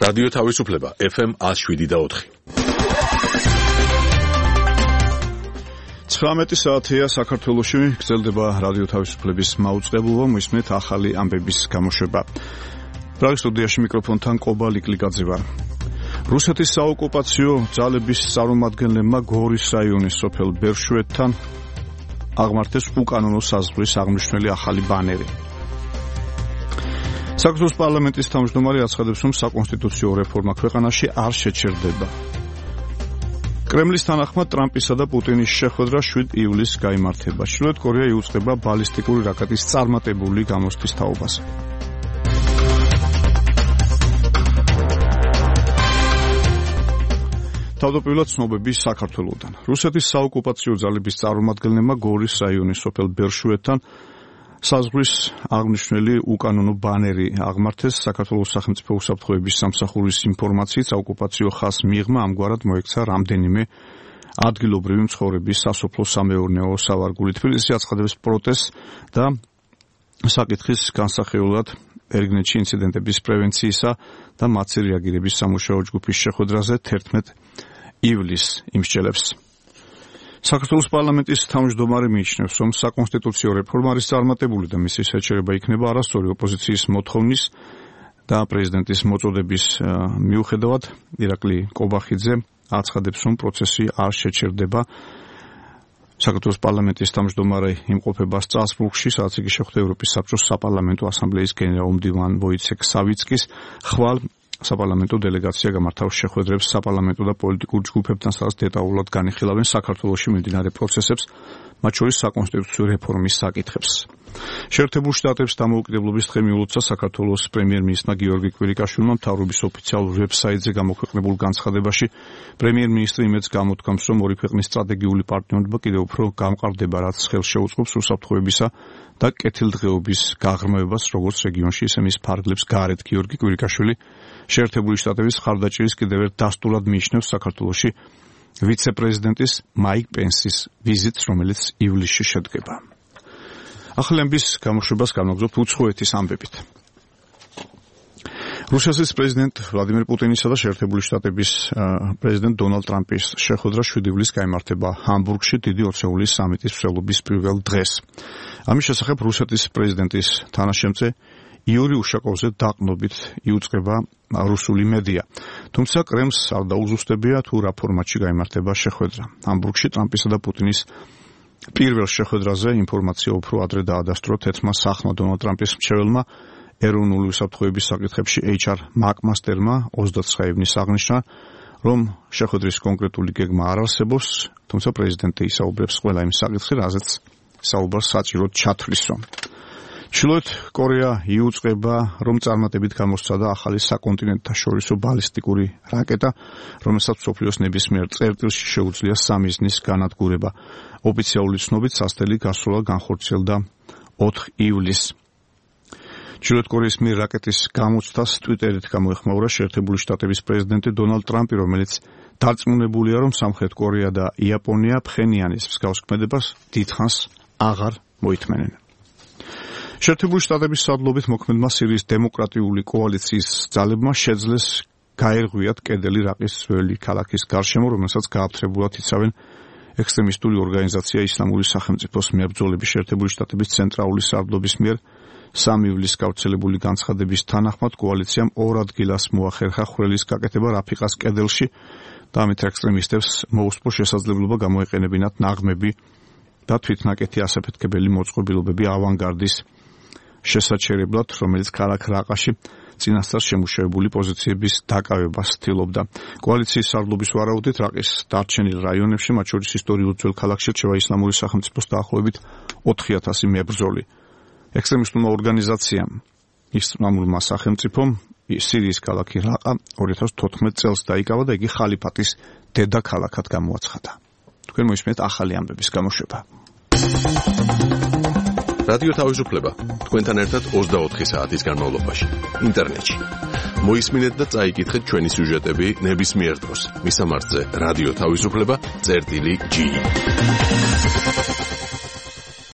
რადიო თავისუფლება FM 107.4. 19 საათია საქართველოში გრძელდება რადიო თავისუფლების მაუწყებლობა, მოისმენთ ახალი ამბების გამოშვება. პრაღის სტუდიაში მიკროფონთან ყობა ლიკლიკაძე ვარ. რუსეთის საოკუპაციო ძალების წარმომადგენლებმა გორის რაიონის სოფელ ბერშვეთთან აღმართეს უკანონო საზღვრის აღნიშნული ახალი ბანერი. საქართველოს პარლამენტის თავმჯდომარე აცხადებს, რომ საკონსტიტუციო რეფორმა ქვეყანაში არ შეჩერდება. კრემლის თანახმად ტრამპისა და პუტინის შეხვედრა 7 ივლისს გაიმართება. ჩრდილოეთ კორეა იუწყება ბალისტიკური რაკეტის წარმატებული გამოსვლის თაობაზე. თავდაპირველად ცნობები საქართველოდან. რუსეთის საოკუპაციო ძალების წარმომადგენლებმა გორის რაიონის სოფელ ბერშვეთთან საზღვრის აღნიშნული უკანონო ბანერი აღმართეს. საქართველოს სახელმწიფო უსაფრთხოების სამსახურის ინფორმაციით საოკუპაციო ხაზს მიღმა ამგვარად მოექცა რამდენიმე ადგილობრივი მცხოვრების სასოფლო-სამეურნეო სავარგული. თბილისში აცხადებს პროტესტს და საკითხის განსახილველად ერგნეთში ინციდენტების პრევენციისა და მათზე რეაგირების სამუშაო ჯგუფის შეხვედრაზე 11 ივლისს იმსჯელებს. საქართველოს პარლამენტის თავმჯდომარე მიიჩნევს, რომ საკონსტიტუციო რეფორმა არის წარმატებული და მისი შეჩერება იქნება არასწორი ოპოზიციის მოთხოვნის და პრეზიდენტის მოწოდების მიუხედავად. ირაკლი კობახიძე აცხადებს, რომ პროცესი არ შეჩერდება. საქართველოს პარლამენტის თავმჯდომარე იმყოფება სტრასბურგში, სადაც იგი შეხვდა ევროპის საბჭოს საპარლამენტო ასამბლეის გენერალ-მდივან ვოიცეკ სავიცკის ხვალ. საპარლამენტო დელეგაცია გამართავს შეხვედრებს საპარლამენტო და პოლიტიკურ ჯგუფებთან, სადაც დეტალურად განიხილავენ საქართველოში მიმდინარე პროცესებს, მათ შორის საკონსტიტუციო რეფორმის საკითხებს. შეერთებულ შტატებს დამოუკიდებლობის დღე მიულოცა საქართველოს პრემიერ-მინისტრმა გიორგი კვირიკაშვილმა მთავრობის ოფიციალურ ვებსაიტზე გამოქვეყნებულ განცხადებაში. პრემიერ-მინისტრი იმედს გამოთქვამს, რომ ორი ქვეყნის სტრატეგიული პარტნიორობა კიდევ უფრო გამყარდება, რაც ხელს შეუწყობს უსაფრთხოებისა და კეთილდღეობის გაღრმავებას როგორც რეგიონში, ისე მის ფარგლებს გარეთ. გიორგი კვირიკაშვილი შეერთებული შტატების ხარდაჭერის კიდევ ერთ დასტურად მიიჩნევს საქართველოში ვიცე-პრეზიდენტის მაიკ პენსის ვიზიტს, რომელიც ივლისში შედგება. ახალი ამბის გამოშვებას განვაგრძობთ უცხოეთის ამბებით. რუსეთის პრეზიდენტ ვლადიმერ პუტინისა და შეერთებული შტატების პრეზიდენტ დონალდ ტრამპის შეხვედრა 7 ივლისს გაიმართება ჰამბურგში დიდი ოცეულის სამიტის მსვლელობის პირველ დღეს. ამის შესახებ რუსეთის პრეზიდენტის თანაშემწე იური უშაკოვზე დაყნობით იუწყება რუსული მედია. თუმცა კრემლს არ დაუზუსტებია თუ რა ფორმატში გაიმართება შეხვედრა. ჰამბურგში ტრამპისა და პუტინის პირველ შეხვედრაზე ინფორმაცია უფრო ადრე დაადასტურა თეთრმა სახმა დონალდ ტრამპის მრჩეველმა ეროვნული უსაფრთხოების საკითხებში HR მაკმასტერმა 29 ივნისს აღნიშნა, რომ შეხვედრის კონკრეტული გეგმა არ არსებობს, თუმცა პრეზიდენტი ისაუბრებს ყველა იმ საკითხზე, რაზეც საუბარს საჭიროდ ჩათვლისო. ჩრდილოეთ კორეა იუწყება, რომ წარმატებით გამოსცადა ახალი საკონტინენტთაშორისო ბალისტიკური რაკეტა, რომელსაც მსოფლიოს ნებისმიერ წერტილში შეუძლია 3 მიზნის განადგურება. ოფიციალური ცნობით სასტელი გასვლა განხორციელდა 4 ივლისს. ჩრდილოეთ კორეის მიერ რაკეტის გამოცდას ტვიტერით გამოეხმაურა შეერთებული შტატების პრეზიდენტი დონალდ ტრამპი, რომელიც დარწმუნებულია, რომ სამხრეთ კორეა და იაპონია ფხენიანის მსგავს ქმედებას დიდხანს აღარ მოითმენენ. შეერთებული შტატების სადლობით მოქმედმა სირიის დემოკრატიული კოალიციის ძალებმა შეძლეს გაერღვიათ კედელი რაყის ძველი ქალაქის გარშემო, რომელსაც გააფთრებულად იცავენ ექსტრემისტული ორგანიზაცია ისლამური სახელმწიფოს მებრძოლები. შეერთებული შტატების ცენტრალური სარდლობის მიერ 3 ივლისს გავრცელებული განცხადების თანახმად კოალიციამ 2 ადგილას მოახერხა ხვრელის გაკეთება რაფიყას კედელში და ამით ექსტრემისტებს მოუსწრო შესაძლებლობა გამოეყენებინათ ნაღმები და თვითნაკეთი ასაფეთქებელი მოწყობილობები ავანგარდის შესაჩერებლად, რომელიც ქალაქ რაყაში წინასწარ შემუშავებული პოზიციების დაკავებას ცდილობდა. კოალიციის სარდლობის ვარაუდით რაყის დარჩენილ რაიონებში, მათ შორის ისტორიულ ძველ ქალაქში რჩება ისლამური სახელმწიფოს დაახლოებით 4000 მებრძოლი. ექსტრემისტულმა ორგანიზაციამ ისლამურმა სახელმწიფომ სირიის ქალაქი რაყა 2014 წელს დაიკავა და იგი ხალიფატის დედაქალაქად გამოაცხადა. თქვენ მოისმენთ ახალი ამბების გამოშვება. რადიო თავისუფლება თქვენთან ერთად 24 საათის განმავლობაში ინტერნეტში. მოისმინეთ და წაიკითხეთ ჩვენი სიუჟეტები ნებისმიერ დროს. მისამართზე რადიო თავისუფლება.gi